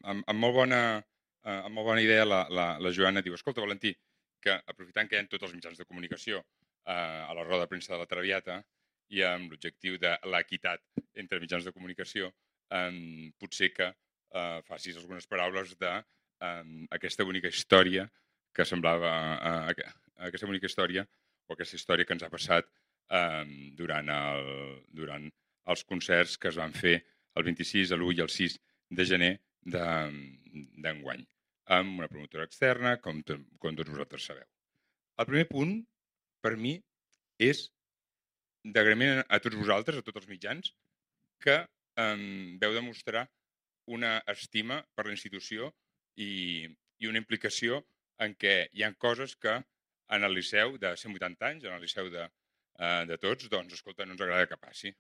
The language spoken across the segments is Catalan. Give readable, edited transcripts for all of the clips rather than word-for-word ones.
amb molt bona idea la Joana diu, escolta, Valentí, que aprofitant que hi ha tots els mitjans de comunicació a la roda de premsa de la Traviata i amb l'objectiu de l'equitat entre mitjans de comunicació, potser que facis algunes paraules d'aquesta bonica història que semblava aquesta bonica història o aquesta història que ens ha passat durant els concerts que es van fer el 26, l'1 i el 6 de gener d'enguany, amb una promotora externa, com tots vosaltres sabeu. El primer punt, per mi, és d'agraïment a tots vosaltres, a tots els mitjans, que veu demostrar una estima per la institució i una implicació en què hi ha coses que en el Liceu de 180 anys, en el Liceu de tots, doncs, escolta, no ens agrada que passi.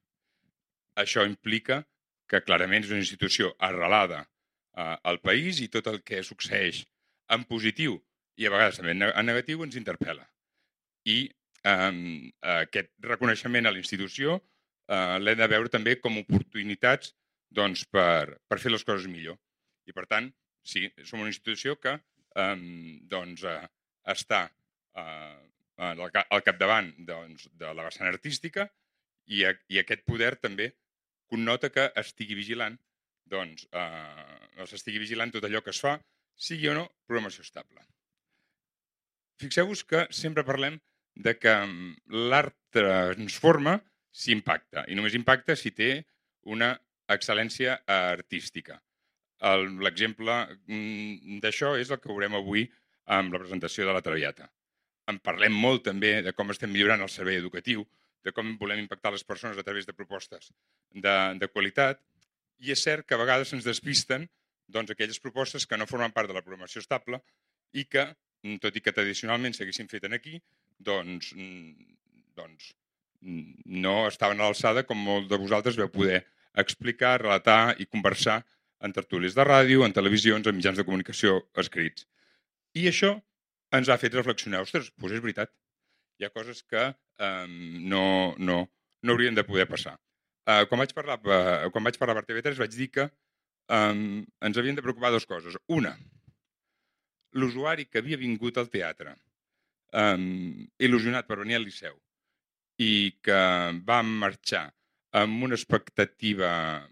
Això implica que clarament és una institució arrelada al país i tot el que succeeix en positiu i a vegades també en negatiu ens interpel·la. I aquest reconeixement a la institució l'hem de veure també com oportunitats doncs, per fer les coses millor. I per tant, sí, som una institució que està al capdavant doncs, de la vessant artística i aquest poder també connota que estigui vigilant s'estigui vigilant tot allò que es fa, sigui o no programació estable. Fixeu-vos que sempre parlem de que l'art transforma si impacta, i només impacta si té una excel·lència artística. L'exemple d'això és el que veurem avui amb la presentació de la Traviata. En parlem molt també de com estem millorant el servei educatiu, de com volem impactar les persones a través de propostes de qualitat, i és cert que a vegades ens despisten doncs, aquelles propostes que no formen part de la programació estable i que, tot i que tradicionalment s'haguessin fet aquí, doncs no estaven a l'alçada com molts de vosaltres veu poder explicar, relatar i conversar en tertúlies de ràdio, en televisions, en mitjans de comunicació escrits. I això ens ha fet reflexionar. Ostres, doncs és veritat. Hi ha coses que no haurien de poder passar. Quan vaig parlar per TV3 vaig dir que ens havien de preocupar dues coses. Una, l'usuari que havia vingut al teatre il·lusionat per venir al Liceu i que va marxar amb una expectativa,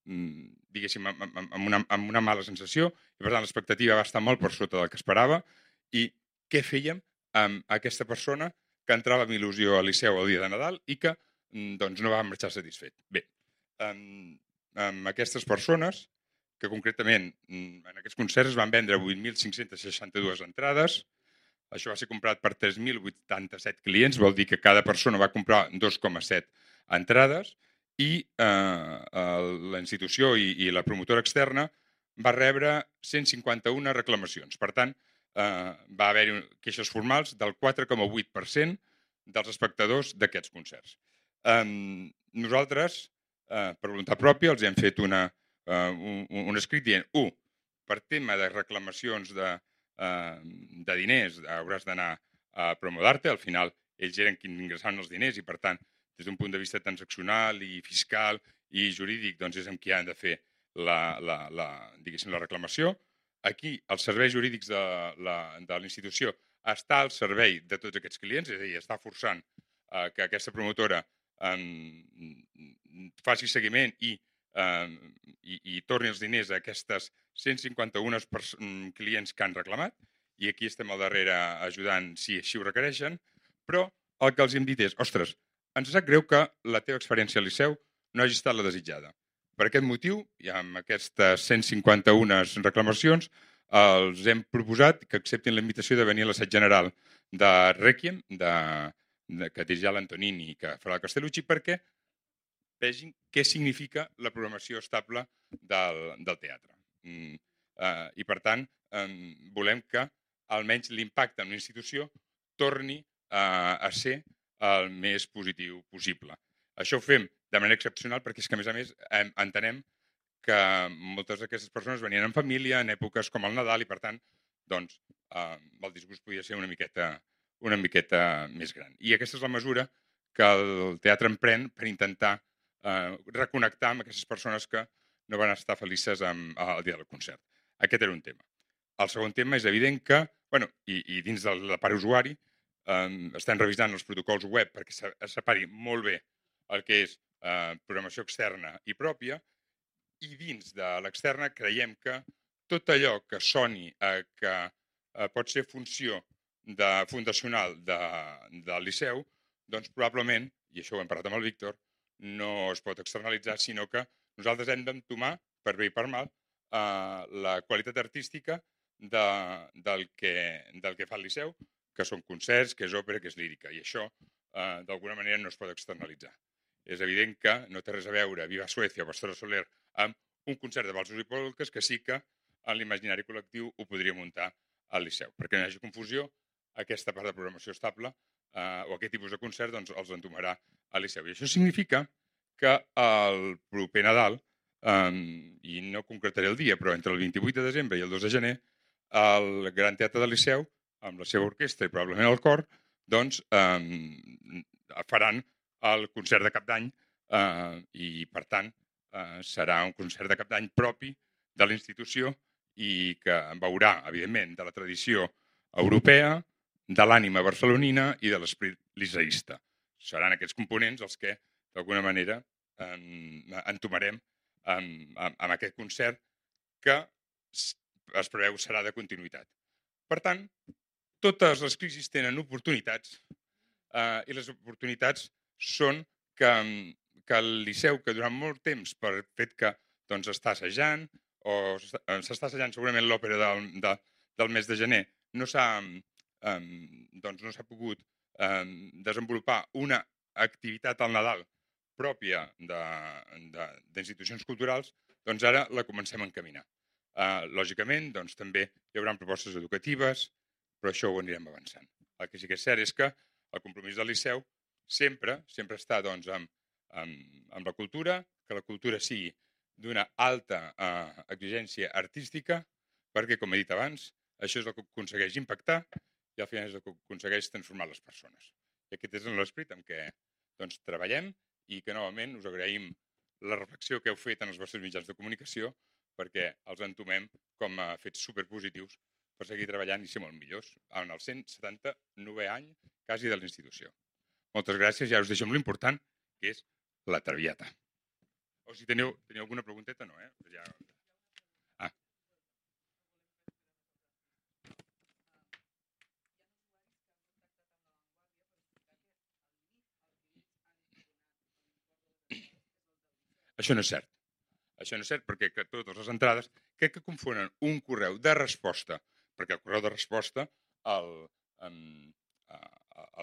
diguéssim, amb una mala sensació, i per tant l'expectativa va estar molt per sota del que esperava, i què fèiem amb aquesta persona que entrava amb il·lusió al Liceu el dia de Nadal i que doncs, no va marxar satisfet. Bé, amb aquestes persones, que concretament en aquests concerts es van vendre 8.562 entrades, això va ser comprat per 3.087 clients, vol dir que cada persona va comprar 2,7 entrades, i la institució i la promotora externa va rebre 151 reclamacions. Per tant, va haver-hi queixes formals del 4,8% dels espectadors d'aquests concerts. Nosaltres, per voluntat pròpia, els hem fet un escrit dient, per tema de reclamacions de diners hauràs d'anar a Promodarte, al final ells eren qui ingressaven els diners i per tant des d'un punt de vista transaccional i fiscal i jurídic doncs és amb qui han de fer la reclamació. Aquí els serveis jurídics de la institució està al servei de tots aquests clients, és a dir, està forçant que aquesta promotora faci seguiment i torni els diners a aquestes 151 clients que han reclamat, i aquí estem al darrere ajudant si així ho requereixen, però el que els hem dit és, ostres, ens sap greu que la teva experiència al Liceu no hagi estat la desitjada. Per aquest motiu, i amb aquestes 151 reclamacions, els hem proposat que acceptin la invitació de venir a l'assaig general de Rèquiem, que dirigirà l'Antonini i que farà el Castellucci, perquè vegin què significa la programació estable del teatre. I, per tant, volem que almenys l'impacte en una institució torni a ser el més positiu possible. Això ho fem de manera excepcional perquè és que, a més, entenem que moltes d'aquestes persones venien en família en èpoques com el Nadal i, per tant, doncs, el disgust podia ser una miqueta més gran. I aquesta és la mesura que el teatre emprèn per intentar reconnectar amb aquestes persones que no van estar felices el dia del concert. Aquest era un tema. El segon tema és evident que, bueno, i dins de la part usuari, estem revisant els protocols web perquè es separi molt bé el que és programació externa i pròpia, i dins de l'externa creiem que tot allò que soni que pot ser funció fundacional del Liceu, doncs probablement, i això ho hem parlat amb el Víctor, no es pot externalitzar, sinó que nosaltres hem d'entomar, per bé i per mal, la qualitat artística del que fa el Liceu, que són concerts, que és òpera, que és lírica, i això d'alguna manera no es pot externalitzar. És evident que no té res a veure Viva Suècia o Pastora Soler amb un concert de valsos i polques que sí que en l'imaginari col·lectiu ho podria muntar al Liceu. Perquè no hi hagi confusió, aquesta part de programació estable o aquest tipus de concert doncs, els entomarà al Liceu. I això significa que el proper Nadal, i no concretaré el dia, però entre el 28 de desembre i el 2 de gener, el Gran Teatre del Liceu, amb la seva orquestra i probablement el cor, doncs faran el concert de cap d'any i, per tant, serà un concert de cap d'any propi de la institució i que veurà, evidentment, de la tradició europea, de l'ànima barcelonina i de l'esprit liceïsta. Seran aquests components els que, d'alguna manera, entomarem amb aquest concert que es preveu serà de continuïtat. Per tant, totes les crisis tenen oportunitats i les oportunitats són que el Liceu, que durant molt temps, per fet que doncs, està assajant, o s'està assajant segurament l'òpera del mes de gener, no s'ha pogut desenvolupar una activitat al Nadal pròpia d'institucions culturals, doncs ara la comencem a encaminar. Lògicament, doncs, també hi haurà propostes educatives, però això ho anirem avançant. El que sí que és cert és que el compromís del Liceu sempre està doncs, amb la cultura, que la cultura sigui d'una alta exigència artística, perquè, com he dit abans, això és el que aconsegueix impactar i al final és el que aconsegueix transformar les persones. I aquest és l'esperit amb què doncs, treballem i que novament us agraïm la reflexió que heu fet en els vostres mitjans de comunicació perquè els entomem com a fets superpositius per seguir treballant i ser molt millors en el 179è any quasi de la institució. Moltes gràcies i ara us deixo amb l'important, que és la Traviata. O si teniu alguna pregunteta, no, Ja... Això no és cert. Això no és cert perquè totes les entrades crec que confonen un correu de resposta, perquè el correu de resposta el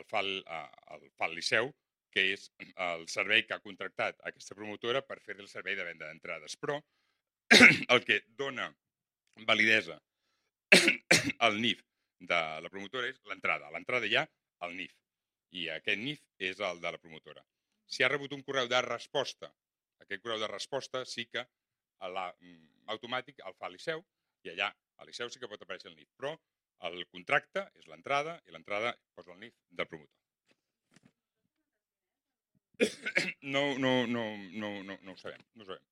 fa el Liceu, que és el servei que ha contractat aquesta promotora per fer el servei de venda d'entrades. Però el que dona validesa al NIF de la promotora és l'entrada. A l'entrada hi ha el NIF i aquest NIF és el de la promotora. Si ha rebut un correu de resposta, aquest correu de resposta sí que automàtic el fa el Liceu i allà al Liceu sí que pot aparèixer el NIF, però el contracte és l'entrada i l'entrada posa el NIF del promotor. No ho sabem. No ho sabem.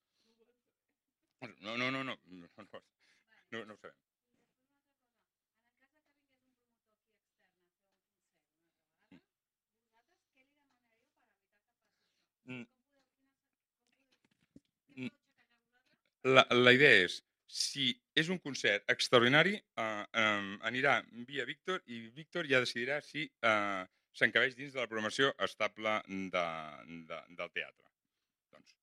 No ho sabem. La idea és, si és un concert extraordinari, anirà via Víctor i Víctor ja decidirà si s'encabeix dins de la programació estable del teatre. Doncs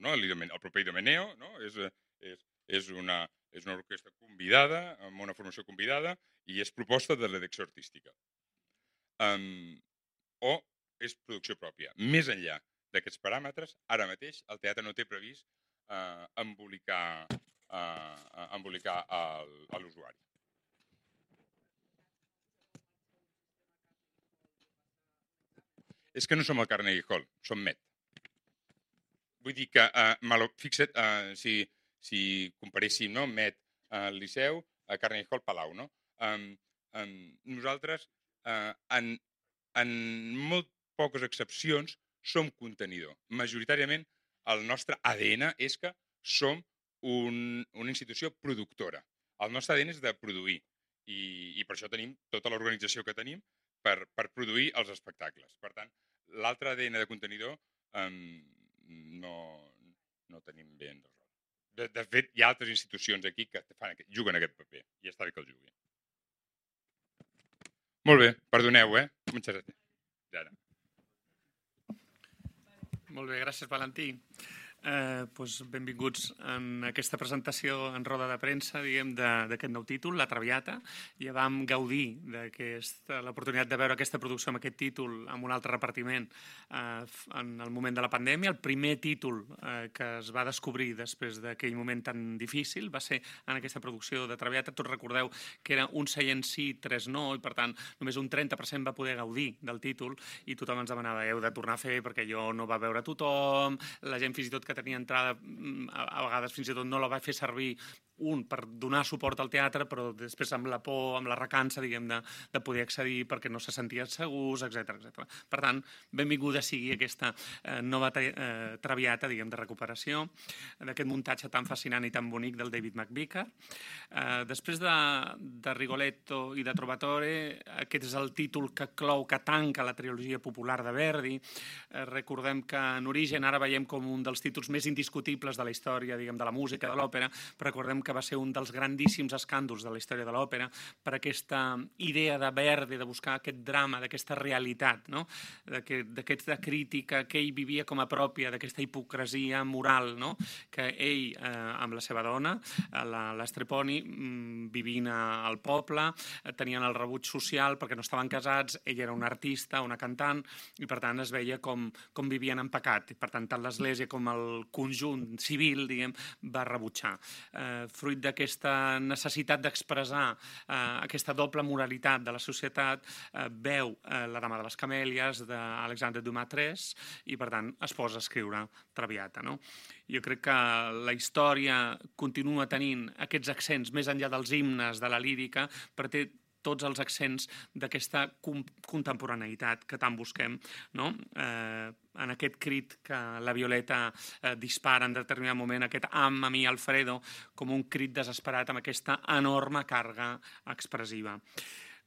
no, el proper Idomeneo no? és una orquestra convidada, amb una formació convidada, i és proposta de la direcció artística. O és producció pròpia. Més enllà d'aquests paràmetres, ara mateix el teatre no té previst embolicar l'usuari. És que no som el Carnegie Hall, som Met. Vull dir que, fixa't, si comparéssim Met, Liceu, Carnegie Hall, Palau. No? Nosaltres, en molt poques excepcions, som contenidor. Majoritàriament, el nostre ADN és que som una institució productora. El nostre ADN és de produir i per això tenim tota l'organització que tenim per produir els espectacles. Per tant, l'altre ADN de contenidor no tenim ben resolt. De fet, hi ha altres institucions aquí que juguen aquest paper i està bé que el juguin. Molt bé, perdoneu, Moltes gràcies. Ara. Molt bé, gràcies, Valentí. Benvinguts en aquesta presentació en roda de premsa, diguem, d'aquest nou títol, La Traviata. Ja vam gaudir l'oportunitat de veure aquesta producció amb aquest títol amb un altre repartiment en el moment de la pandèmia. El primer títol que es va descobrir després d'aquell moment tan difícil va ser en aquesta producció de Traviata. Tots recordeu que era un seient sí, 3 no, i per tant només un 30% va poder gaudir del títol i tothom ens demanava, heu de tornar a fer perquè jo no va veure tothom, la gent fins i tot que tenia entrada a vegades fins i tot no la va fer servir per donar suport al teatre, però després amb la por, amb la recança, diguem, de poder accedir perquè no se sentien segurs, etc. Per tant, benvinguda sigui aquesta nova Traviata, diguem, de recuperació, d'aquest muntatge tan fascinant i tan bonic del David McVicar. Després de Rigoletto i de Trovatore, aquest és el títol que clou, que tanca la trilogia popular de Verdi. Recordem que en origen ara veiem com un dels títols més indiscutibles de la història, diguem, de la música, de l'òpera, però recordem que va ser un dels grandíssims escàndols de la història de l'òpera per aquesta idea de Verdi, de buscar aquest drama, d'aquesta realitat, no? D'aquesta crítica que ell vivia com a pròpia, d'aquesta hipocresia moral, no? Que ell, amb la seva dona, l'Estreponi, vivint al poble, tenien el rebuig social perquè no estaven casats, ell era un artista, una cantant, i per tant es veia com vivien en pecat. I per tant, tant l'Església com el conjunt civil, diguem, va rebutjar. Fruit d'aquesta necessitat d'expressar aquesta doble moralitat de la societat, veu La dama de les camèlies d'Alexandre Dumas III i, per tant, es posa a escriure Traviata. Jo crec que la història continua tenint aquests accents més enllà dels himnes, de la lírica, però té tots els accents d'aquesta contemporaneïtat que tant busquem, no? En aquest crit que la Violeta dispara en determinat moment, aquest "Am a mi, Alfredo", com un crit desesperat amb aquesta enorme càrrega expressiva.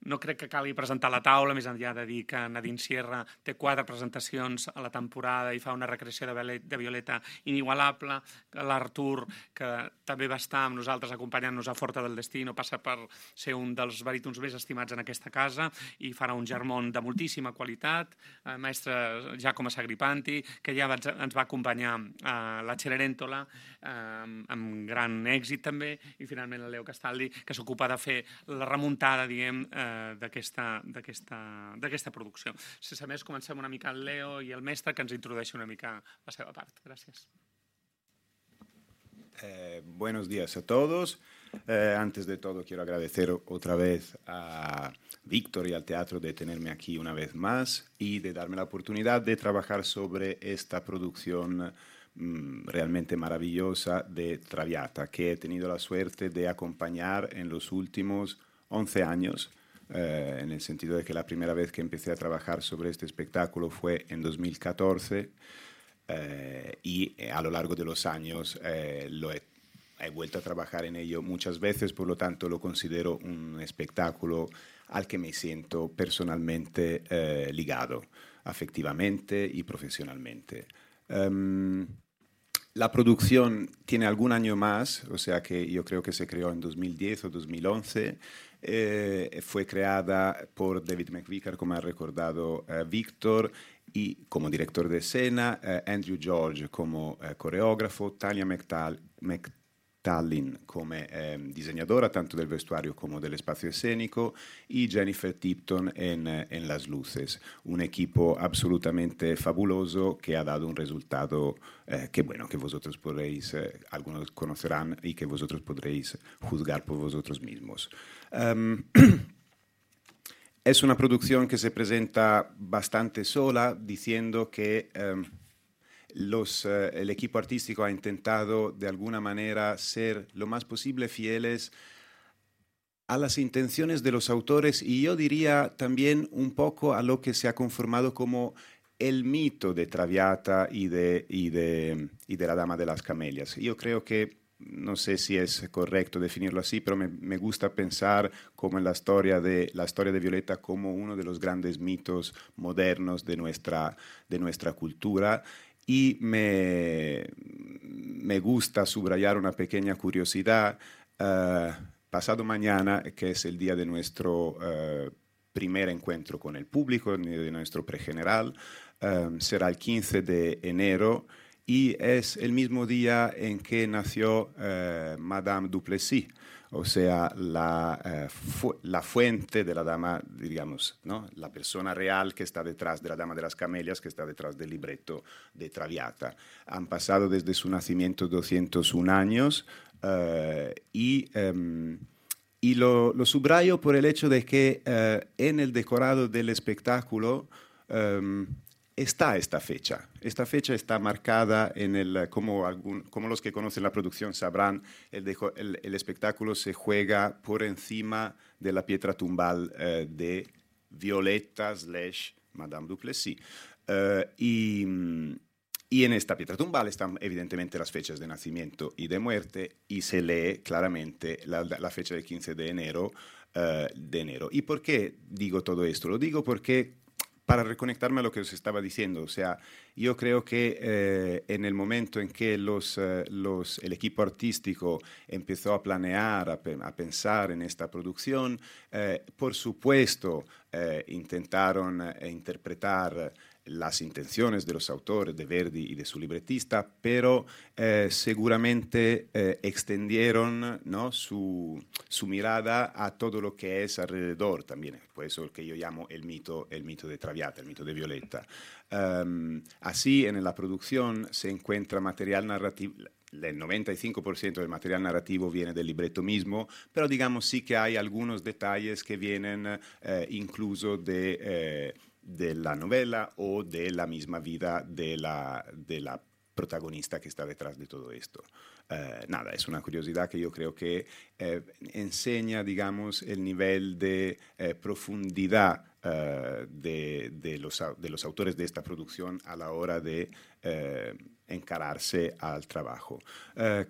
No crec que calgui presentar la taula, més enllà de dir que Nadine Sierra té 4 presentacions a la temporada i fa una recreació de Violeta inigualable. L'Artur, que també va estar amb nosaltres acompanyant-nos a Forta del Destino, passa per ser un dels barítons més estimats en aquesta casa i farà un Germont de moltíssima qualitat. Mestre Giacomo Sagripanti, que ja ens va acompanyar a la Cenerentola amb gran èxit també, i finalment el Leo Castaldi, que s'ocupa de fer la remuntada, diguem, d'aquesta producció. Sense més, comencem una mica el Leo i el mestre, que ens introdueixi una mica la seva part. Gràcies. Buenos días a todos. Antes de todo, quiero agradecer otra vez a Víctor y al teatro de tenerme aquí una vez más y de darme la oportunidad de trabajar sobre esta producción realmente maravillosa de Traviata, que he tenido la suerte de acompañar en los últimos 11 años. En el sentido de que la primera vez que empecé a trabajar sobre este espectáculo fue en 2014 y a lo largo de los años he vuelto a trabajar en ello muchas veces, por lo tanto lo considero un espectáculo al que me siento personalmente ligado, afectivamente y profesionalmente. La producción tiene algún año más, o sea que yo creo que se creó en 2010 o 2011. Fue creada por David McVicar, como ha recordado Víctor, y como director de escena, Andrew George como coreógrafo, Tanya McTallin como diseñadora tanto del vestuario como del espacio escénico y Jennifer Tipton en las luces. Un equipo absolutamente fabuloso que ha dado un resultado que vosotros podréis, algunos conocerán y que vosotros podréis juzgar por vosotros mismos. Es una producción que se presenta bastante sola, diciendo que el equipo artístico ha intentado de alguna manera ser lo más posible fieles a las intenciones de los autores y yo diría también un poco a lo que se ha conformado como el mito de Traviata y de la Dama de las Camelias. Yo creo que, no sé si es correcto definirlo así, pero me gusta pensar como en la historia de Violeta como uno de los grandes mitos modernos de nuestra cultura. Y me gusta subrayar una pequeña curiosidad. Pasado mañana, que es el día de nuestro primer encuentro con el público, de nuestro pregeneral, será el 15 de enero y es el mismo día en que nació Madame Duplessis, o sea, la fuente de la dama, digamos, ¿no? La persona real que está detrás de la Dama de las Camelias, que está detrás del libreto de Traviata. Han pasado desde su nacimiento 201 años y lo subrayo por el hecho de que en el decorado del espectáculo está esta fecha. Esta fecha está marcada como los que conocen la producción sabrán, el espectáculo se juega por encima de la piedra tumbal de Violeta / Madame Duplessis. Y en esta piedra tumbal están evidentemente las fechas de nacimiento y de muerte y se lee claramente la fecha del 15 de enero. ¿Y por qué digo todo esto? Lo digo porque para reconectarme a lo que os estaba diciendo, o sea, yo creo que en el momento en que el equipo artístico empezó a planear, a pensar en esta producción, por supuesto intentaron interpretar las intenciones de los autores, de Verdi y de su libretista, pero seguramente extendieron, ¿no?, su mirada a todo lo que es alrededor también. Por eso el que yo llamo el mito de Traviata, el mito de Violeta. Así, en la producción se encuentra material narrativo. El 95% del material narrativo viene del libreto mismo, pero digamos sí que hay algunos detalles que vienen incluso de la novela o de la misma vida de la protagonista que está detrás de todo esto. Nada, es una curiosidad que yo creo que enseña, digamos, el nivel de profundidad de los autores de esta producción a la hora de encararse al trabajo.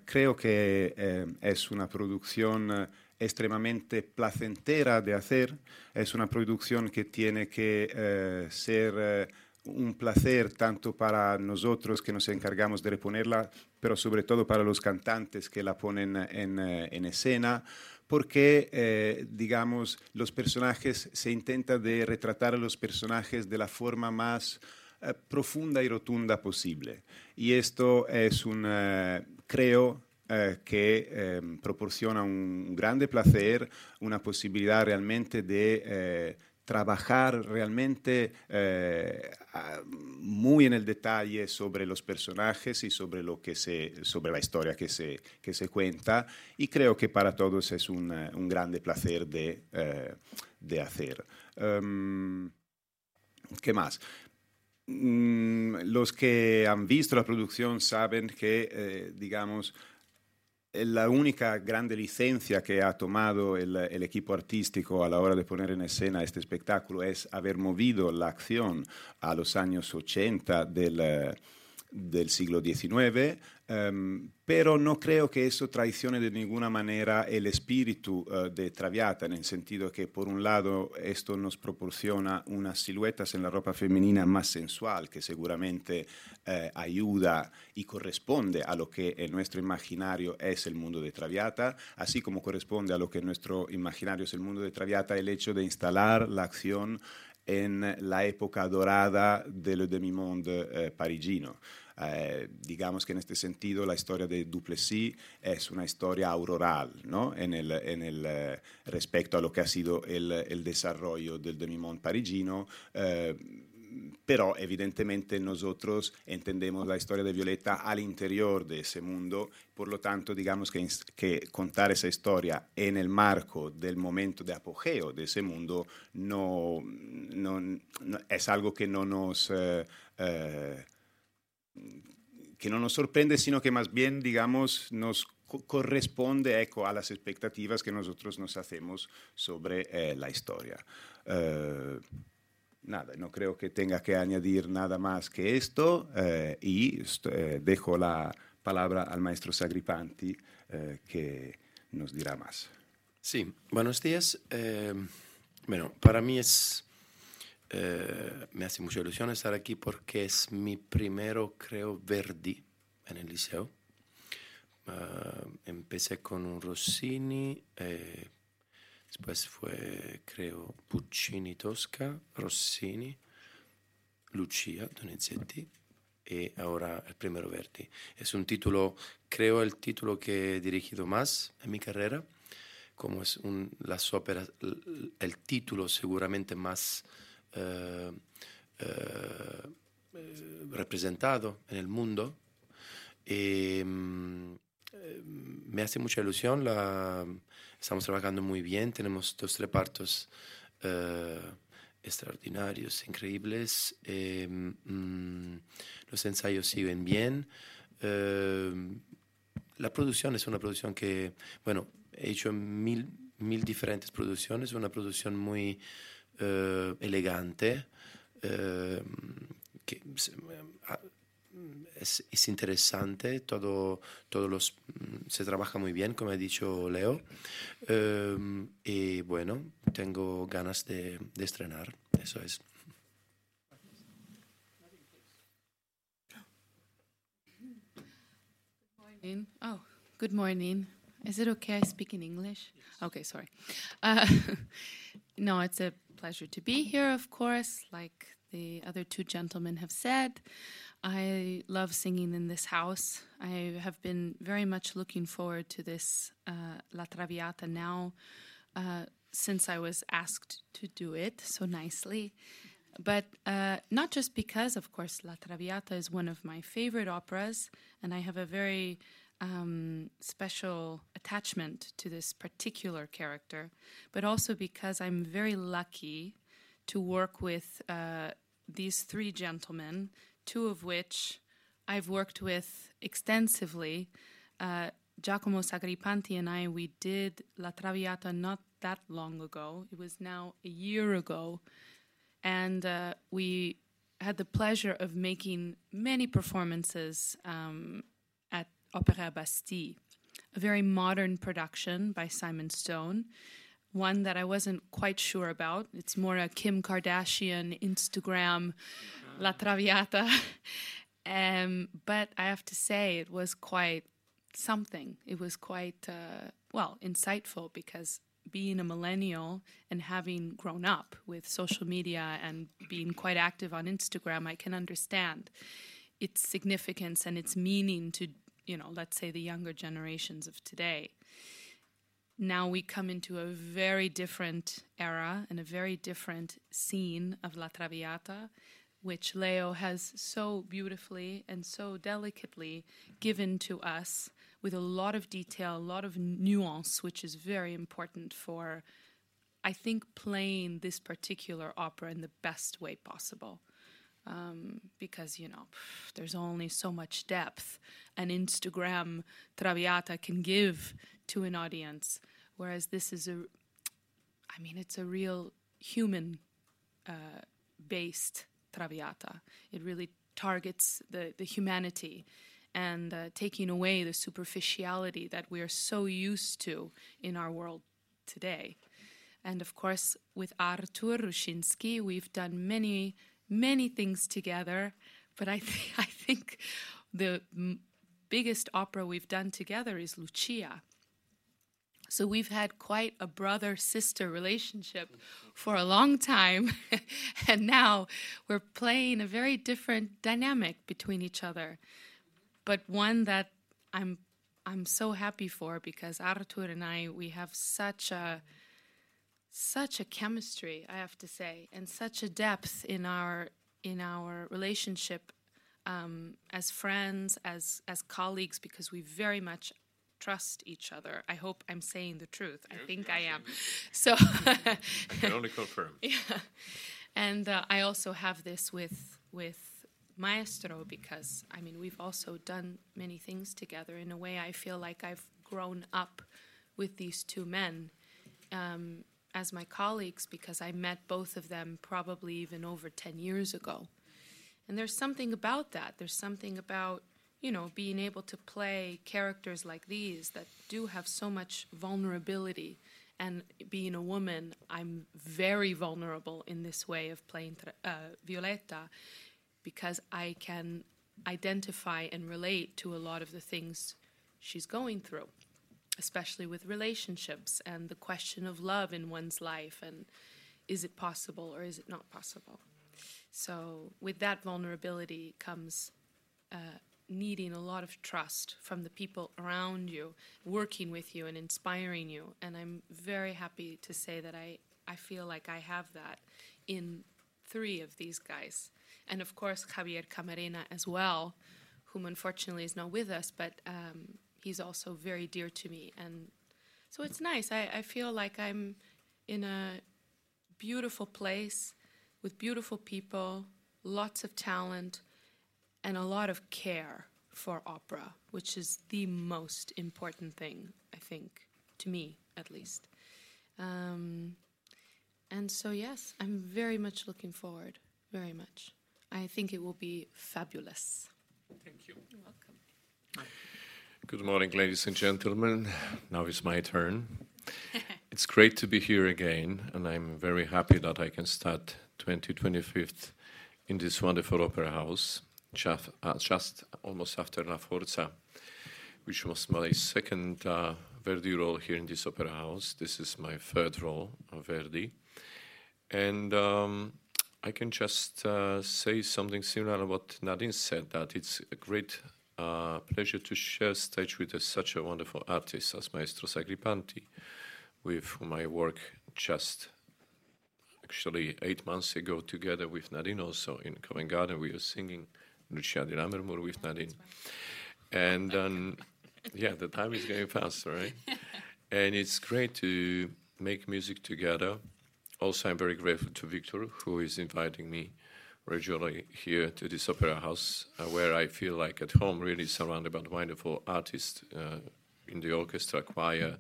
Creo que es una producción extremadamente placentera de hacer, es una producción que tiene que ser un placer tanto para nosotros que nos encargamos de reponerla, pero sobre todo para los cantantes que la ponen en escena, porque, digamos, los personajes, se intenta de retratar a los personajes de la forma más profunda y rotunda posible. Y esto es creo, que proporciona un grande placer, una posibilidad realmente de trabajar realmente muy en el detalle sobre los personajes y sobre la historia que se cuenta, y creo que para todos es un grande placer de hacer. ¿Qué más? Los que han visto la producción saben que, digamos, la única grande licencia que ha tomado el equipo artístico a la hora de poner en escena este espectáculo es haber movido la acción a los años 80 del siglo XIX, pero no creo que eso traicione de ninguna manera el espíritu de Traviata, en el sentido que, por un lado, esto nos proporciona unas siluetas en la ropa femenina más sensual, que seguramente ayuda y corresponde a lo que en nuestro imaginario es el mundo de Traviata, así como corresponde a lo que en nuestro imaginario es el mundo de Traviata el hecho de instalar la acción en la época dorada del demi-monde parigino. Digamos que en este sentido la historia de Duplessis es una historia auroral, ¿no?, respecto a lo que ha sido el desarrollo del demi-monde parigino, pero evidentemente nosotros entendemos la historia de Violeta al interior de ese mundo, por lo tanto digamos que contar esa historia en el marco del momento de apogeo de ese mundo no es algo que no nos sorprende, sino que más bien, digamos, nos corresponde a las expectativas que nosotros nos hacemos sobre la historia. nada, no creo que tenga que añadir nada más que esto y dejo la palabra al maestro Sagripanti que nos dirá más. Sí, buenos días. Bueno, para mí me hace mucha ilusión estar aquí porque es mi primero, creo, Verdi en el liceo. Empecé con un Rossini, después fue, creo, Puccini, Tosca, Rossini, Lucia, Donizetti y ahora el primero Verdi. Es un título, creo, el título que he dirigido más en mi carrera, como es las óperas, el título seguramente más representado en el mundo. Y, me hace mucha ilusión, estamos trabajando muy bien, tenemos 2 repartos extraordinarios, increíbles, los ensayos siguen bien, la producción es una producción que, bueno, he hecho mil diferentes producciones, una producción muy elegante, que es interesante, se trabaja muy bien, como ha dicho Leo, y bueno, tengo ganas de estrenar, eso es. Good morning. Is it okay I speak in English? Okay, sorry. No, it's a pleasure to be here, of course, like the other 2 gentlemen have said. I love singing in this house. I have been very much looking forward to this La Traviata now since I was asked to do it so nicely. But not just because, of course, La Traviata is one of my favorite operas, and I have a very special attachment to this particular character, but also because I'm very lucky to work with these 3 gentlemen, 2 of which I've worked with extensively. Giacomo Sagripanti and we did La Traviata not that long ago. It was now a year ago. And we had the pleasure of making many performances at Opéra Bastille, a very modern production by Simon Stone, one that I wasn't quite sure about. It's more a Kim Kardashian Instagram La Traviata. But I have to say it was quite something. It was quite, insightful, because being a millennial and having grown up with social media and being quite active on Instagram, I can understand its significance and its meaning to, let's say the younger generations of today. Now we come into a very different era and a very different scene of La Traviata, which Leo has so beautifully and so delicately given to us, with a lot of detail, a lot of nuance, which is very important for, I think, playing this particular opera in the best way possible. Because, there's only so much depth an Instagram Traviata can give to an audience, whereas this is it's a real human-based Traviata. It really targets the humanity and taking away the superficiality that we are so used to in our world today. And of course, with Artur Ruszyński, we've done many, many things together, but I think the biggest opera we've done together is Lucia. So we've had quite a brother-sister relationship for a long time, and now we're playing a very different dynamic between each other, but one that I'm so happy for, because Artur and we have such a chemistry, I have to say, and such a depth in our relationship as friends, as colleagues, because we very much trust each other. I hope I'm saying the truth. I think I am. So I can only confirm. Yeah. And I also have this with Maestro, because we've also done many things together. In a way, I feel like I've grown up with these 2 men, as my colleagues because I met both of them probably even over 10 years ago. And there's something about that. There's something about, being able to play characters like these that do have so much vulnerability. And being a woman, I'm very vulnerable in this way of playing Violetta because I can identify and relate to a lot of the things she's going through, especially with relationships and the question of love in one's life and is it possible or is it not possible. So with that vulnerability comes needing a lot of trust from the people around you, working with you and inspiring you. And I'm very happy to say that I feel like I have that in 3 of these guys. And of course, Javier Camarena as well, whom unfortunately is not with us, but he's also very dear to me. And so it's nice. I feel like I'm in a beautiful place with beautiful people, lots of talent, and a lot of care for opera, which is the most important thing, I think, to me at least. And so, yes, I'm very much looking forward, very much. I think it will be fabulous. Thank you. You're welcome. Good morning, ladies and gentlemen. Now it's my turn. It's great to be here again, and I'm very happy that I can start 2025 in this wonderful opera house, just almost after La Forza, which was my second Verdi role here in this opera house. This is my 3rd role of Verdi. And I can just say something similar to what Nadine said, that it's a great pleasure to share stage with such a wonderful artist as Maestro Sacripanti, with whom I work just actually 8 months ago together with Nadine also in Covent Garden. We were singing Lucia di Lammermoor with Nadine. And yeah, the time is going fast, right? And it's great to make music together. Also, I'm very grateful to Victor, who is inviting me regularly here to this opera house, where I feel like at home, really surrounded by wonderful artists in the orchestra, choir,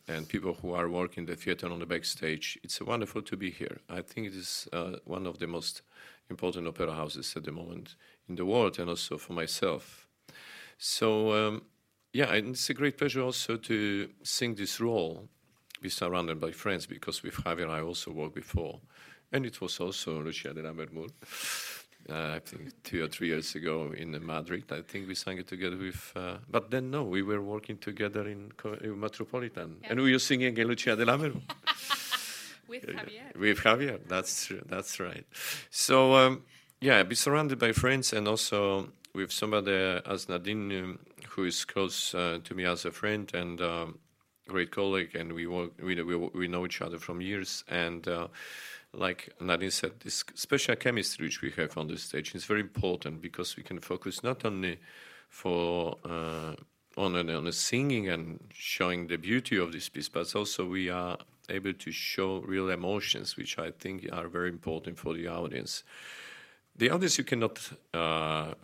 and people who are working the theater on the backstage. It's wonderful to be here. I think it is one of the most important opera houses at the moment in the world, and also for myself. So, yeah, and it's a great pleasure also to sing this role, be surrounded by friends, because with Javier I also worked before. And it was also Lucia di Lammermoor. I think 2 or 3 years ago in Madrid. I think we sang it together with... but then, no, we were working together in Metropolitan. Yeah. And we were singing Lucia di Lammermoor. With Javier. With Javier, that's true, that's right. So, yeah, be surrounded by friends and also with somebody as Nadine, who is close to me as a friend and great colleague, and we know each other from years. And like Nadine said, this special chemistry which we have on the stage is very important because we can focus not only on the singing and showing the beauty of this piece, but also we are able to show real emotions, which I think are very important for the audience. The audience, you cannot lie,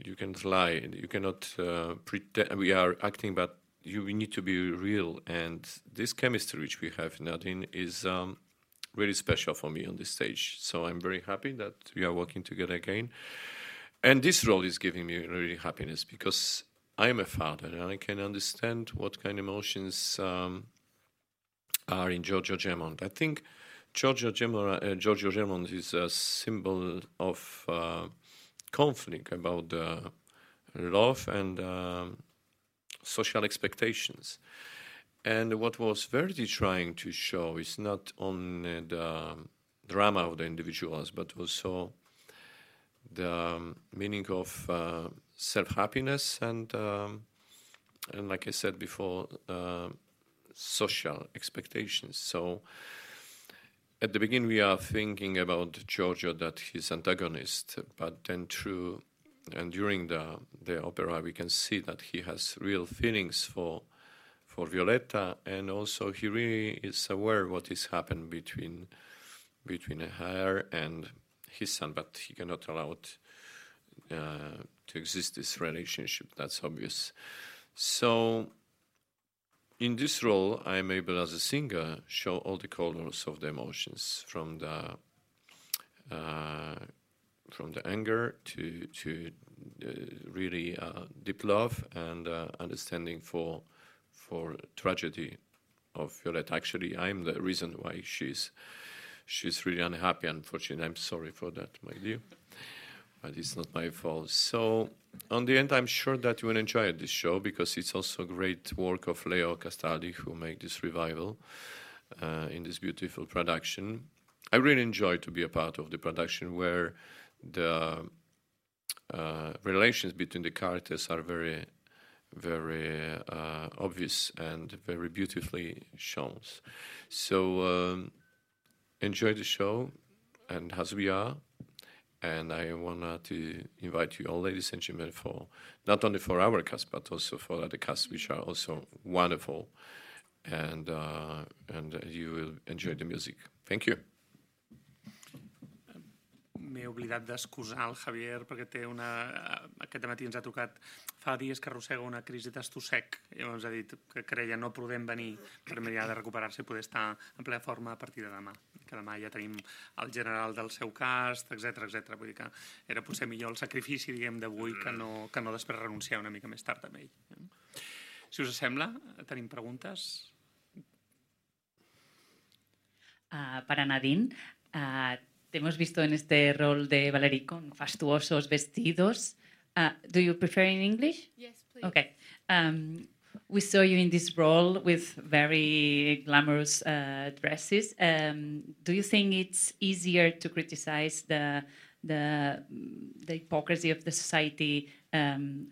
you cannot pretend we are acting, but we need to be real. And this chemistry which we have, Nadine, is really special for me on this stage. So I'm very happy that we are working together again. And this role is giving me really happiness because I am a father and I can understand what kind of emotions are in Giorgio Gemont. I think Giorgio Gemont is a symbol of conflict about love and social expectations. And what was Verdi trying to show is not only the drama of the individuals, but also the meaning of self-happiness and like I said before, social expectations. So at the beginning we are thinking about Giorgio that he's antagonist, but then during the opera we can see that he has real feelings for Violetta, and also he really is aware what is happened between her and his son, but he cannot allow it to exist, this relationship, that's obvious. So in this role, I'm able as a singer show all the colors of the emotions, from the anger to really deep love and understanding for tragedy of Violetta. Actually, I'm the reason why she's really unhappy. Unfortunately, I'm sorry for that, my dear, but it's not my fault. So, on the end, I'm sure that you will enjoy this show, because it's also great work of Leo Castaldi, who made this revival in this beautiful production. I really enjoy to be a part of the production where the relations between the characters are very, very obvious and very beautifully shown. So enjoy the show, and as we are. And I want to invite you all, ladies and gentlemen, for not only for our cast, but also for other casts, which are also wonderful. And you will enjoy the music. Thank you. M'he oblidat d'excusar el Javier perquè aquest matí ens ha trucat, fa dies que arrossega una crisi d'estossec, i llavors ha dit que creia no podem venir per mirar de recuperar-se i poder estar en plena forma a partir de demà, que demà ja tenim el general del seu cast, etc. Vull dir que era potser millor el sacrifici, diguem, d'avui que no després renunciar una mica més tard amb ell. Si us sembla, tenim preguntes? Para Nadine, te hemos visto en este rol de Valerie con fastuosos vestidos. Do you prefer in English? Yes, please. Okay. We saw you in this role with very glamorous dresses. Do you think it's easier to criticize the hypocrisy of the society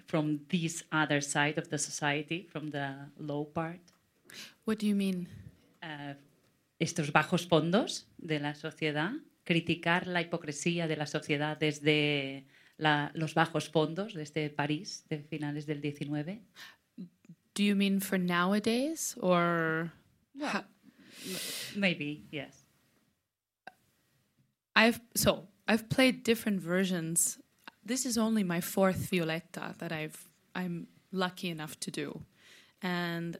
from this other side of the society, from the low part? What do you mean? Estos bajos fondos de la sociedad. Criticar la hipocresía de la sociedad desde los bajos fondos, desde París, de finales del 19. Do you mean for nowadays, or...? Well, maybe, yes. I've played different versions. This is only my fourth Violetta that I'm lucky enough to do. And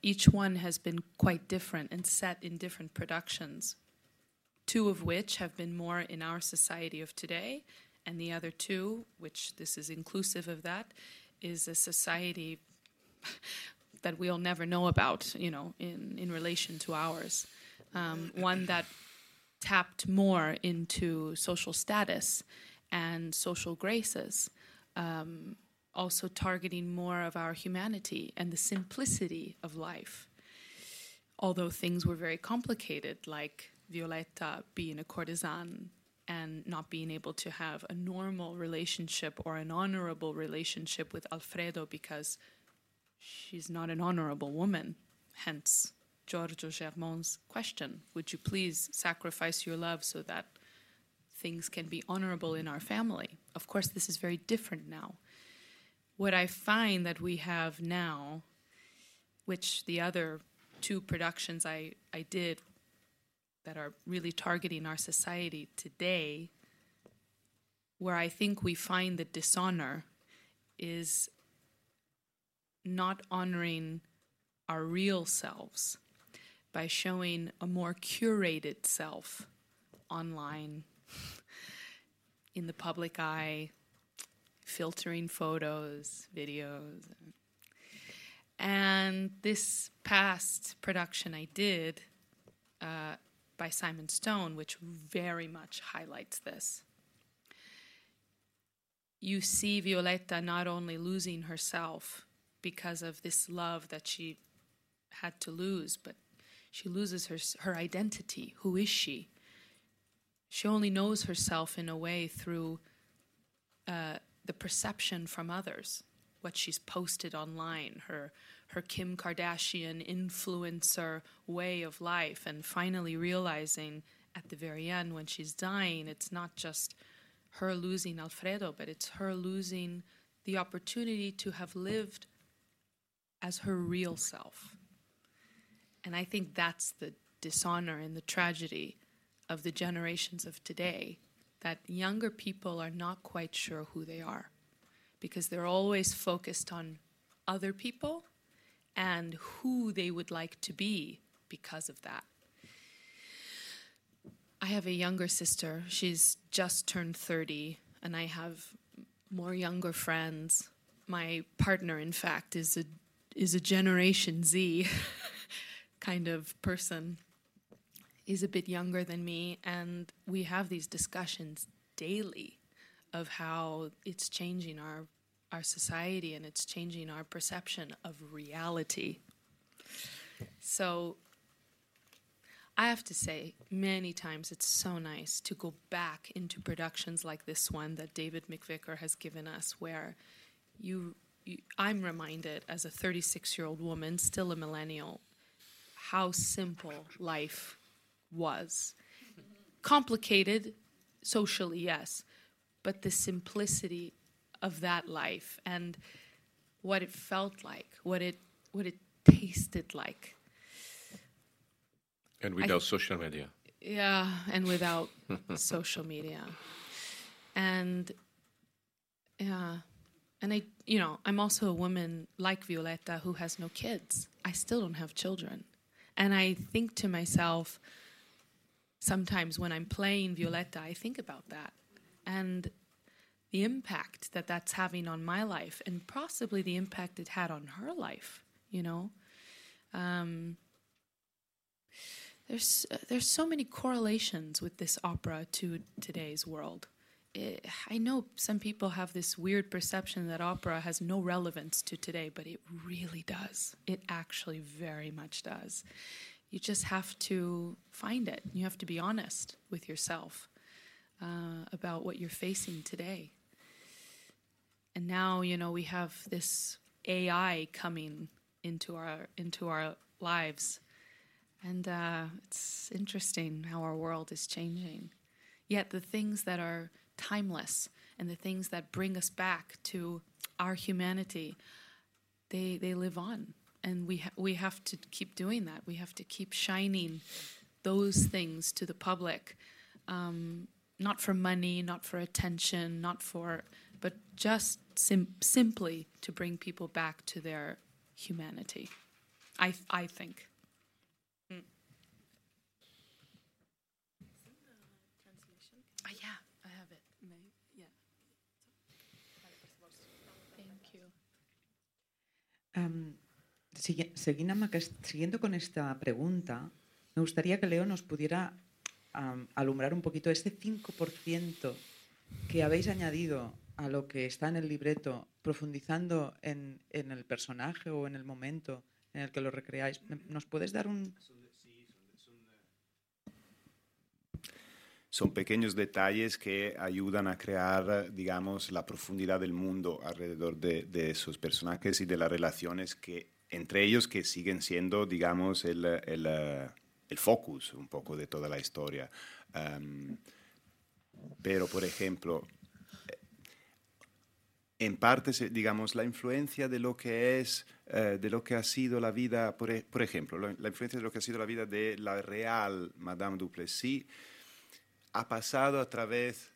each one has been quite different and set in different productions. Two of which have been more in our society of today, and the other two, which this is inclusive of that, is a society that we'll never know about, in relation to ours. One that tapped more into social status and social graces, also targeting more of our humanity and the simplicity of life. Although things were very complicated, like Violetta being a courtesan and not being able to have a normal relationship or an honorable relationship with Alfredo because she's not an honorable woman. Hence, Giorgio Germont's question, would you please sacrifice your love so that things can be honorable in our family? Of course, this is very different now. What I find that we have now, which the other two productions I did that are really targeting our society today, where I think we find the dishonor is not honoring our real selves by showing a more curated self online, in the public eye, filtering photos, videos. And this past production I did by Simon Stone, which very much highlights this. You see Violetta not only losing herself because of this love that she had to lose, but she loses her identity. Who is she? She only knows herself in a way through the perception from others, what she's posted online, her Kim Kardashian influencer way of life, and finally realizing at the very end when she's dying, it's not just her losing Alfredo, but it's her losing the opportunity to have lived as her real self. And I think that's the dishonor and the tragedy of the generations of today, that younger people are not quite sure who they are because they're always focused on other people and who they would like to be because of that. I have a younger sister. She's just turned 30, and I have more younger friends. My partner, in fact, is a Generation Z kind of person. He's a bit younger than me, and we have these discussions daily of how it's changing our society and it's changing our perception of reality. So I have to say, many times it's so nice to go back into productions like this one that David McVicker has given us, where I'm reminded as a 36-year-old woman, still a millennial, how simple life was. Complicated socially, yes, but the simplicity of that life and what it felt like, what it tasted like. And without social media. Yeah, and without social media. And yeah, and I'm also a woman like Violetta who has no kids. I still don't have children. And I think to myself, sometimes when I'm playing Violetta, I think about that. And the impact that that's having on my life, and possibly the impact it had on her life, There's so many correlations with this opera to today's world. I know some people have this weird perception that opera has no relevance to today, but it really does. It actually very much does. You just have to find it. You have to be honest with yourself about what you're facing today. And now, we have this AI coming into our lives. And it's interesting how our world is changing. Yet the things that are timeless and the things that bring us back to our humanity, they live on. And we have to keep doing that. We have to keep shining those things to the public, not for money, not for attention, but just simply to bring people back to their humanity, I think. Yeah, I have it. Yeah. Thank you. Siguiendo con esta pregunta, me gustaría que Leo nos pudiera alumbrar un poquito este 5% que habéis añadido a lo que está en el libreto, profundizando en el personaje o en el momento en el que lo recreáis. ¿Nos puedes dar un...? Son pequeños detalles que ayudan a crear, digamos, la profundidad del mundo alrededor de esos personajes y de las relaciones que entre ellos que siguen siendo, digamos, el focus un poco de toda la historia. Pero, por ejemplo, en parte, digamos, la influencia de lo que es, de lo que ha sido la vida, por ejemplo, la influencia de lo que ha sido la vida de la real Madame Duplessis ha pasado a través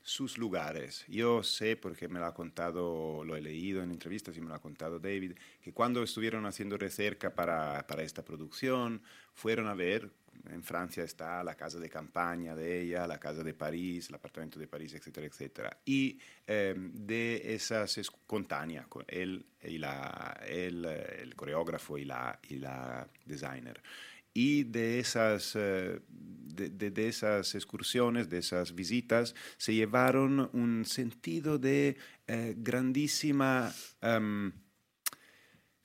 sus lugares. Yo sé, porque me lo ha contado, lo he leído en entrevistas y me lo ha contado David, que cuando estuvieron haciendo recerca para esta producción, fueron a ver, en Francia está la casa de campaña de ella, la casa de París, el apartamento de París, etcétera, etcétera. Y de esas, con Tania, con él, el coreógrafo y la designer. Y de esas excursiones, de esas visitas, se llevaron un sentido de grandísima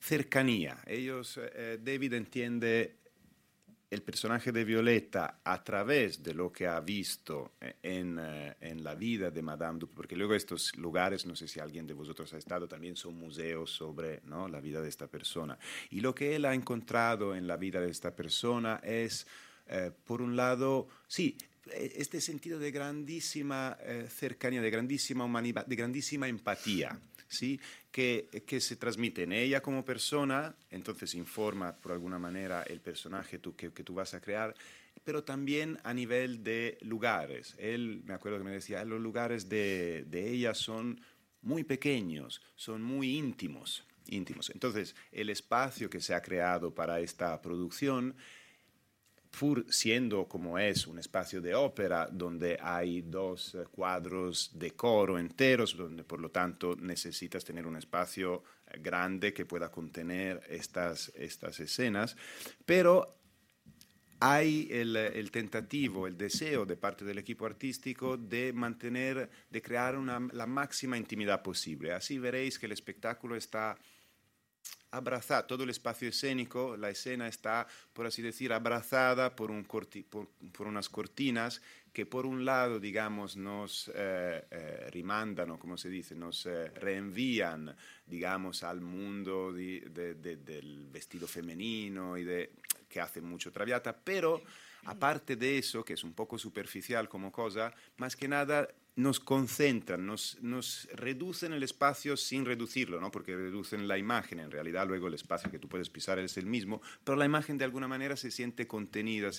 cercanía. David entiende el personaje de Violetta a través de lo que ha visto en la vida de Madame Duplessis, porque luego estos lugares, no sé si alguien de vosotros ha estado, también son museos sobre, ¿no?, la vida de esta persona. Y lo que él ha encontrado en la vida de esta persona es, por un lado, sí, este sentido de grandísima cercanía, de grandísima humanidad, de grandísima empatía, ¿sí?, que se transmite en ella como persona, entonces informa por alguna manera el personaje que tú vas a crear, pero también a nivel de lugares. Él, me acuerdo que me decía, los lugares de ella son muy pequeños, son muy íntimos. íntimos. Entonces, el espacio que se ha creado para esta producción, siendo como es un espacio de ópera donde hay 2 cuadros de coro enteros, donde por lo tanto necesitas tener un espacio grande que pueda contener estas escenas, pero hay el tentativo, el deseo de parte del equipo artístico de crear la máxima intimidad posible. Así veréis que el espectáculo está abrazada, todo el espacio escénico, la escena está, por así decir, abrazada por unas cortinas que por un lado, digamos, nos rimandan, o como se dice, nos reenvían, digamos, al mundo del vestido femenino que hace mucho Traviata, pero aparte de eso, que es un poco superficial como cosa, más que nada nos concentran, nos reducen el espacio sin reducirlo, ¿no? Porque reducen la imagen, en realidad luego el espacio que tú puedes pisar es el mismo, pero la imagen de alguna manera se siente contenida,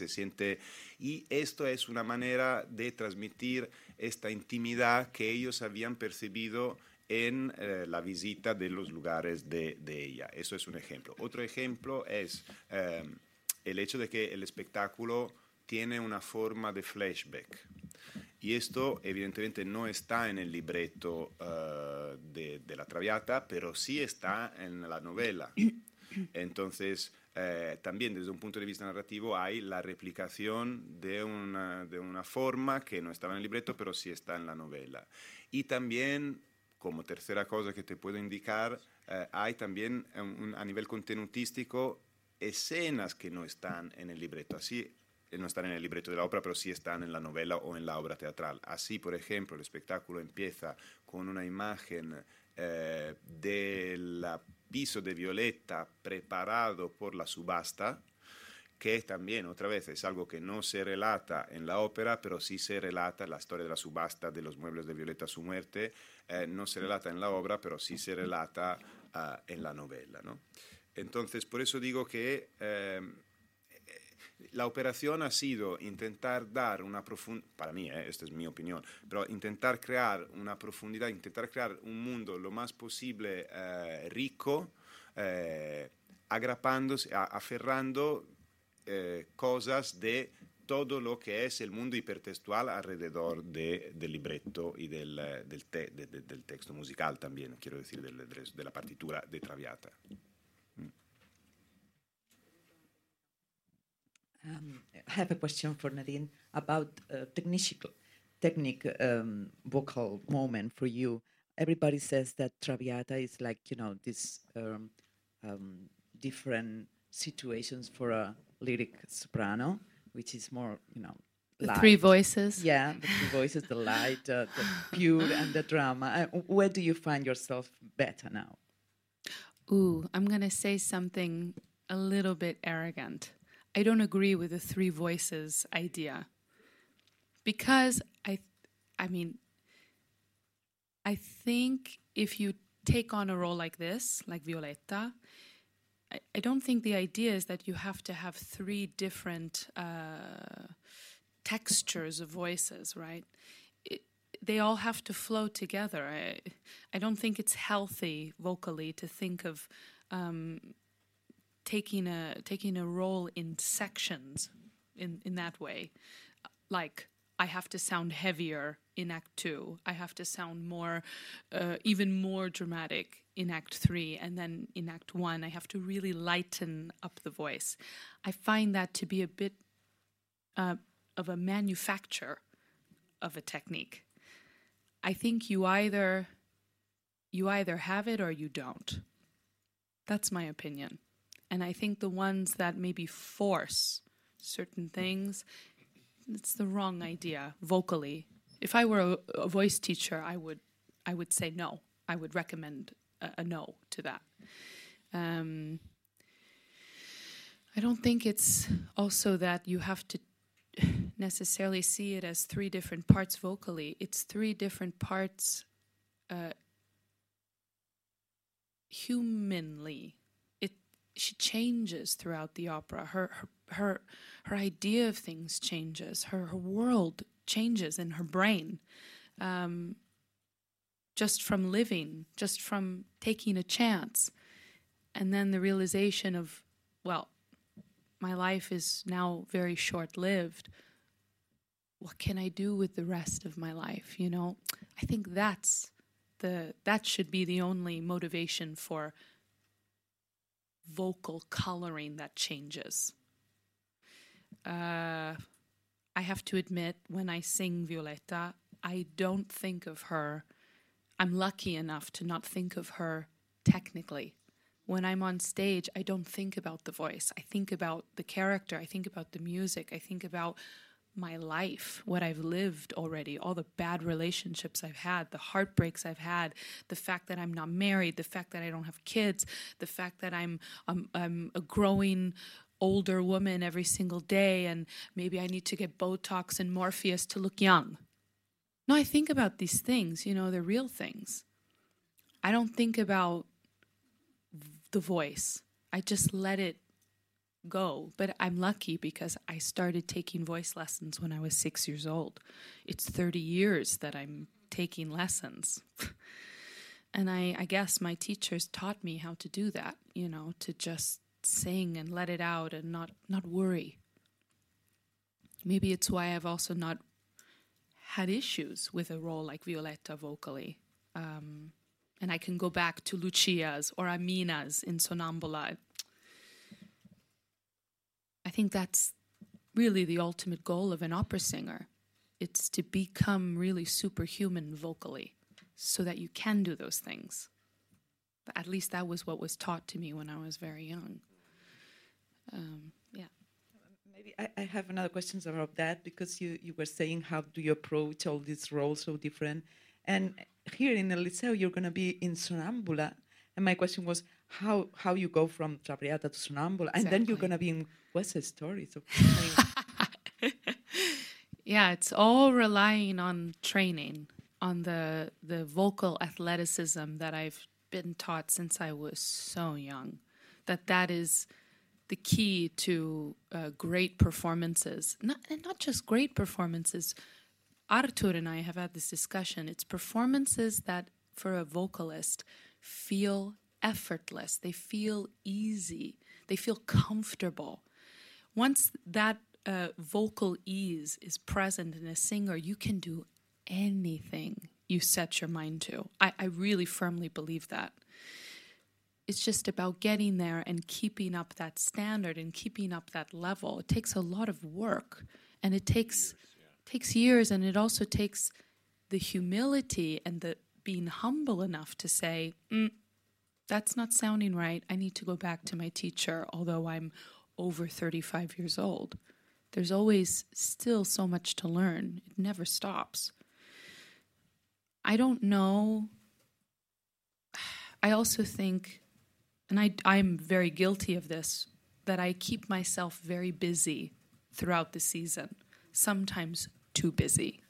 y esto es una manera de transmitir esta intimidad que ellos habían percibido en la visita de los lugares de ella. Eso es un ejemplo. Otro ejemplo es el hecho de que el espectáculo tiene una forma de flashback. Y esto evidentemente no está en el libreto de la Traviata, pero sí está en la novela. Entonces, también desde un punto de vista narrativo hay la replicación de una forma que no estaba en el libreto, pero sí está en la novela. Y también, como tercera cosa que te puedo indicar, hay también a nivel contenutístico escenas que no están en el libreto. Así no están en el libreto de la ópera, pero sí están en la novela o en la obra teatral. Así, por ejemplo, el espectáculo empieza con una imagen del piso de Violetta preparado por la subasta, que también, otra vez, es algo que no se relata en la ópera, pero sí se relata la historia de la subasta de los muebles de Violetta a su muerte. No se relata en la obra, pero sí se relata en la novela, ¿no? Entonces, por eso digo que la operación ha sido intentar dar una profundidad, para mí, esta es mi opinión, pero intentar crear una profundidad, intentar crear un mundo lo más posible rico, agrapándose, aferrando cosas de todo lo que es el mundo hipertextual alrededor del libretto y del texto musical también, quiero decir, de la partitura de Traviata. I have a question for Nadine about vocal moment for you. Everybody says that Traviata is like, this different situations for a lyric soprano, which is more, the light. 3 voices. Yeah, the 3 voices, the light, the pure, and the drama. Where do you find yourself better now? Ooh, I'm going to say something a little bit arrogant. I don't agree with the 3 voices idea, because I think if you take on a role like this, like Violetta, I don't think the idea is that you have to have 3 different textures of voices, right? They all have to flow together. I don't think it's healthy vocally to think of taking a role in sections in that way. Like, I have to sound heavier in Act 2. I have to sound more, even more dramatic in Act 3. And then in Act 1, I have to really lighten up the voice. I find that to be a bit of a manufacture of a technique. I think you either have it or you don't. That's my opinion. And I think the ones that maybe force certain things, it's the wrong idea vocally. If I were a voice teacher, I would say no. I would recommend a no to that. I don't think it's also that you have to necessarily see it as 3 different parts vocally. It's 3 different parts humanly. She changes throughout the opera. Her idea of things changes. Her world changes in her brain, just from living, just from taking a chance. And then the realization of, well, my life is now very short-lived. What can I do with the rest of my life, you know? I think that should be the only motivation for vocal coloring that changes. I have to admit, when I sing Violetta, I don't think of her. I'm lucky enough to not think of her technically. When I'm on stage, I don't think about the voice. I think about the character. I think about the music. I think about my life, what I've lived already, all the bad relationships I've had, the heartbreaks I've had, the fact that I'm not married, the fact that I don't have kids, the fact that I'm a growing older woman every single day, and maybe I need to get Botox and Morpheus to look young. No, I think about these things, you know, they're real things. I don't think about the voice. I just let it go. But I'm lucky because I started taking voice lessons when I was 6 years old. It's 30 years that I'm taking lessons. And I guess my teachers taught me how to do that, you know, to just sing and let it out and not worry. Maybe it's why I've also not had issues with a role like Violetta vocally. And I can go back to Lucia's or Amina's in Sonnambula. I think that's really the ultimate goal of an opera singer. It's to become really superhuman vocally so that you can do those things. But at least that was what was taught to me when I was very young. Maybe I have another question about that, because you were saying how do you approach all these roles so different. And here in El Liceo, you're going to be in Sonnambula. And my question was how you go from Traviata to Sonnambula. And then you're going to be in West Side Story. So, yeah, it's all relying on training, on the vocal athleticism that I've been taught since I was so young. That is the key to great performances. Not just great performances. Artur and I have had this discussion. It's performances that, for a vocalist, feel effortless. They feel easy. They feel comfortable. Once that vocal ease is present in a singer, you can do anything you set your mind to. I really firmly believe that. It's just about getting there and keeping up that standard and keeping up that level. It takes a lot of work, and it takes years, and it also takes the humility and the being humble enough to say, that's not sounding right. I need to go back to my teacher, although I'm over 35 years old. There's always still so much to learn. It never stops. I don't know. I also think, and I'm very guilty of this, that I keep myself very busy throughout the season, sometimes too busy.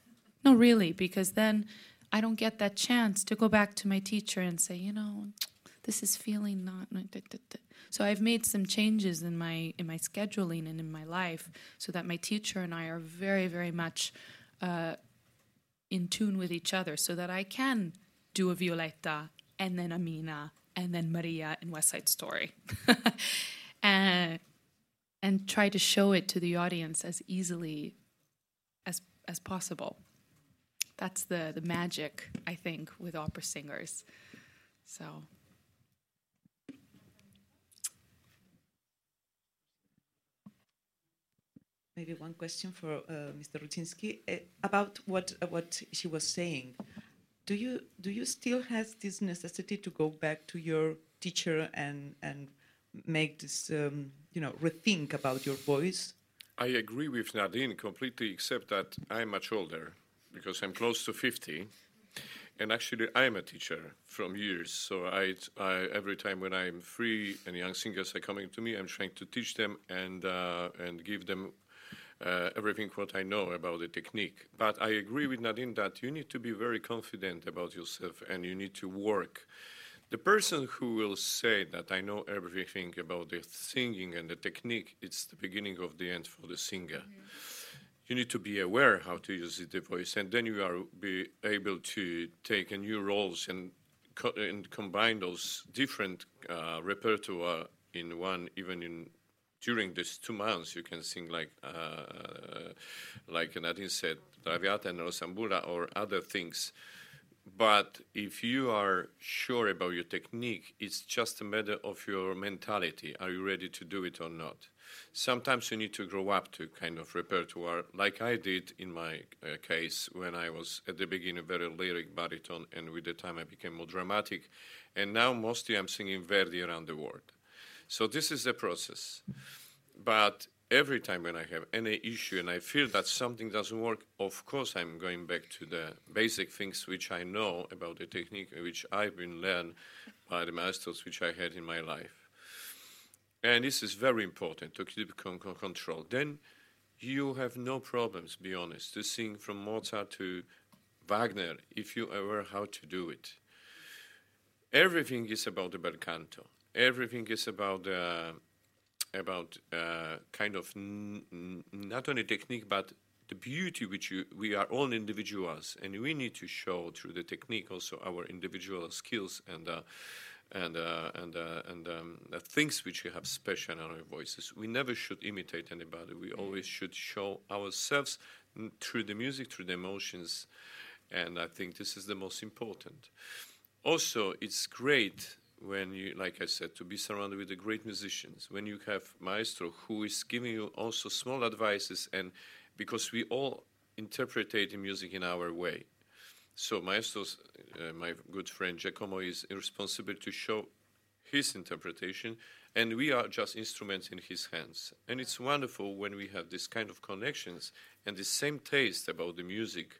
No, really, because then I don't get that chance to go back to my teacher and say, you know, this is feeling not. So I've made some changes in my scheduling and in my life so that my teacher and I are very, very much in tune with each other, so that I can do a Violetta and then Amina and then Maria in West Side Story. and try to show it to the audience as easily as possible. That's the magic, I think, with opera singers. So. Maybe one question for Mr. Rucinski about what she was saying. Do you still have this necessity to go back to your teacher and make this rethink about your voice? I agree with Nadine completely, except that I'm much older, because I'm close to 50, and actually I'm a teacher from years. So I every time when I'm free and young singers are coming to me, I'm trying to teach them and give them everything what I know about the technique. But I agree with Nadine that you need to be very confident about yourself and you need to work. The person who will say that I know everything about the singing and the technique, it's the beginning of the end for the singer. Mm-hmm. You need to be aware how to use the voice, and then you are be able to take a new roles and combine those different repertoire in one, during these 2 months, you can sing like Nadine said, Traviata and Rosambula or other things. But if you are sure about your technique, it's just a matter of your mentality. Are you ready to do it or not? Sometimes you need to grow up to kind of repertoire, like I did in my case when I was at the beginning very lyric baritone, and with the time I became more dramatic. And now mostly I'm singing Verdi around the world. So this is the process. But every time when I have any issue and I feel that something doesn't work, of course I'm going back to the basic things which I know about the technique, which I've been learned by the masters which I had in my life. And this is very important to keep control. Then you have no problems, be honest, to sing from Mozart to Wagner if you ever how to do it. Everything is about the bel canto. Everything is about kind of not only technique but the beauty which we are all individuals, and we need to show through the technique also our individual skills and the things which we have special in our voices. We never should imitate anybody. We always should show ourselves through the music, through the emotions, and I think this is the most important. Also, it's great when you, like I said, to be surrounded with the great musicians, when you have maestro who is giving you also small advices, and because we all interpret the music in our way. So maestro's, my good friend Giacomo is responsible to show his interpretation, and we are just instruments in his hands. And it's wonderful when we have this kind of connections and the same taste about the music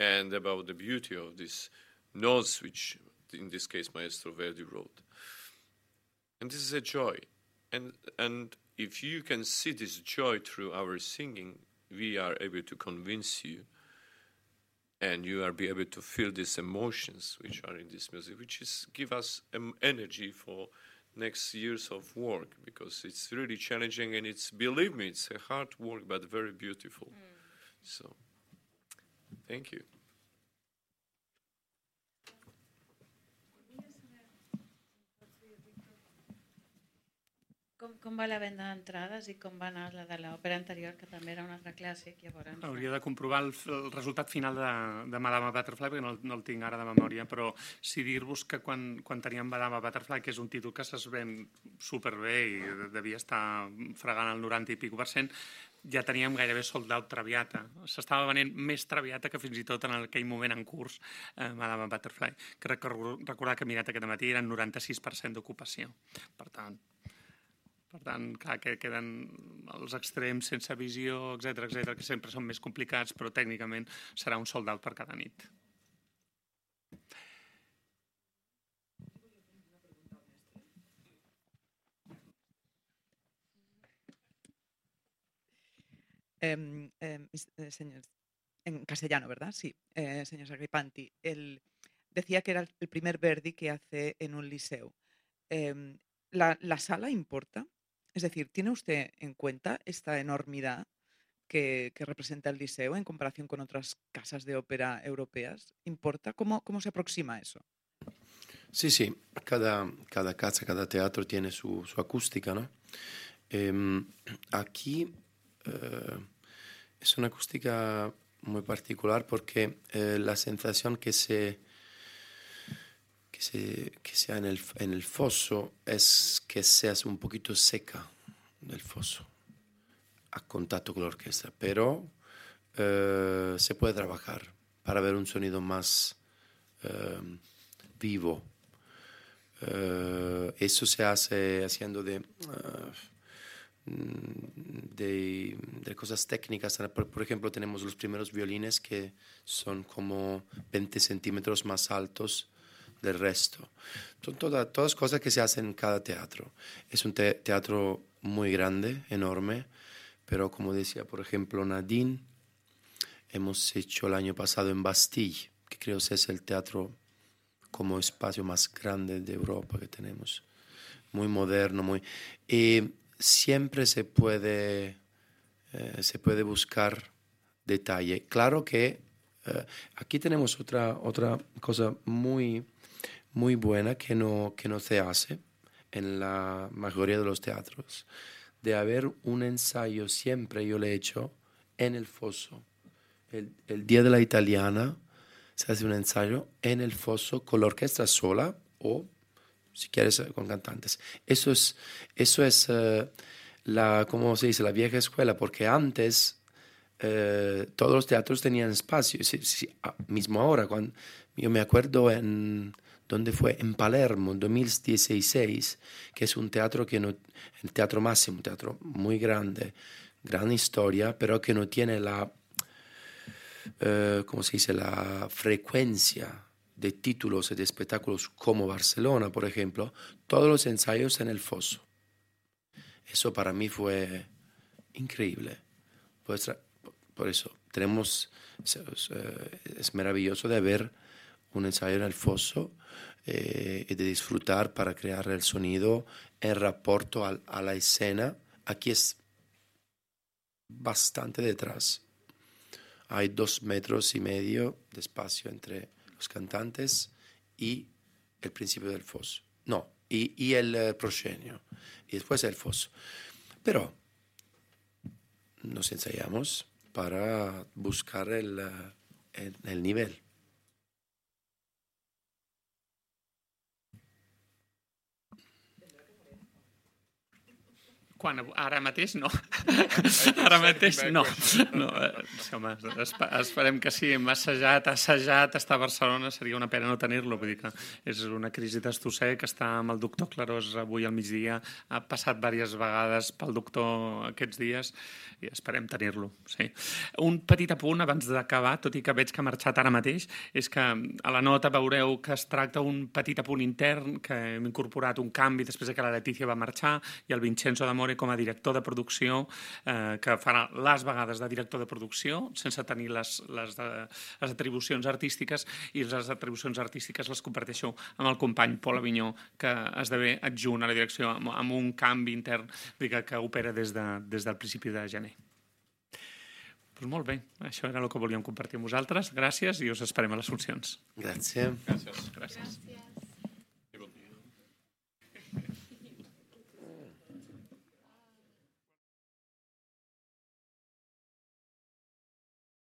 and about the beauty of these notes which, in this case, Maestro Verdi wrote. And this is a joy. And if you can see this joy through our singing, we are able to convince you, and you are be able to feel these emotions which are in this music, which is give us energy for next years of work, because it's really challenging, and it's, believe me, it's a hard work, but very beautiful. So, thank you. Com va la venda d'entrades i com va anar la de l'òpera anterior, que també era un altre clàssic? Llavors... Hauria de comprovar el resultat final de Madame Butterfly, perquè no el tinc ara de memòria, però sí dir-vos que quan teníem Madame Butterfly, que és un títol que es ven superbé i devia estar fregant el 90 i escaig %, ja teníem gairebé sold out Traviata. S'estava venent més Traviata que fins i tot en aquell moment en curs Madame Butterfly. Crec que recordar que mirat aquest matí eren 96% d'ocupació. Per tant, clar, que queden els extrems sense visió, etc, que sempre són més complicats, però tècnicament serà un sold out per cada nit. Señor, en castellano, ¿verdad? Sí, señor Sagripanti. Decía que era el primer Verdi que hace en un liceo. ¿La sala importa? Es decir, ¿tiene usted en cuenta esta enormidad que representa el Liceo en comparación con otras casas de ópera europeas? ¿Importa? ¿Cómo se aproxima a eso? Sí. Cada casa, cada teatro tiene su acústica, ¿no? Aquí es una acústica muy particular porque la sensación que se ha en el foso es que seas un poquito seca del foso a contacto con la orquesta, pero se puede trabajar para ver un sonido más vivo. Eso se hace haciendo de cosas técnicas. Por ejemplo, tenemos los primeros violines que son como 20 centímetros más altos del resto. Son todas cosas que se hacen en cada teatro. Es un teatro muy grande, enorme, pero como decía, por ejemplo, Nadine, hemos hecho el año pasado en Bastille, que creo que es el teatro como espacio más grande de Europa que tenemos. Muy moderno, y siempre se puede buscar detalle. Claro que aquí tenemos otra cosa muy muy buena que no se hace en la mayoría de los teatros, de haber un ensayo siempre, yo lo he hecho, en el foso. El día de la italiana se hace un ensayo en el foso con la orquesta sola o, si quieres, con cantantes. Eso es ¿cómo se dice? La vieja escuela, porque antes todos los teatros tenían espacio. Mismo ahora, cuando yo me acuerdo ¿dónde fue? En Palermo, en 2016, que es un teatro el Teatro Máximo, un teatro muy grande, gran historia, pero que no tiene ¿cómo se dice? La frecuencia de títulos y de espectáculos como Barcelona, por ejemplo, todos los ensayos en el foso. Eso para mí fue increíble. Por eso es maravilloso de ver un ensayo en el foso y de disfrutar para crear el sonido en rapporto a la escena. Aquí es bastante detrás. Hay 2,5 metros de espacio entre los cantantes y el principio del foso. No, y el proscenio. Y después el foso. Pero nos ensayamos para buscar el nivel. Ara mateix no. Ara mateix no. Home, esperem que sí. Hem assajat, estar a Barcelona, seria una pena no tenir-lo. Vull dir que és una crisi d'estosser que està amb el doctor Clarós avui al migdia, ha passat diverses vegades pel doctor aquests dies i esperem tenir-lo. Sí. Un petit apunt abans d'acabar, tot i que veig que ha marxat ara mateix, és que a la nota veureu que es tracta un petit apunt intern, que hem incorporat un canvi després que la Letícia va marxar i el Vincenzo d'Amore com a director de producció, que farà les vegades de director de producció sense tenir les atribucions artístiques, i les atribucions artístiques les comparteixo amb el company Pol Avinyó, que esdevé adjunt a la direcció amb un canvi intern que opera des del principi de gener. Doncs molt bé, això era el que volíem compartir amb vosaltres. Gràcies i us esperem a les funcions. Gràcies. Gràcies.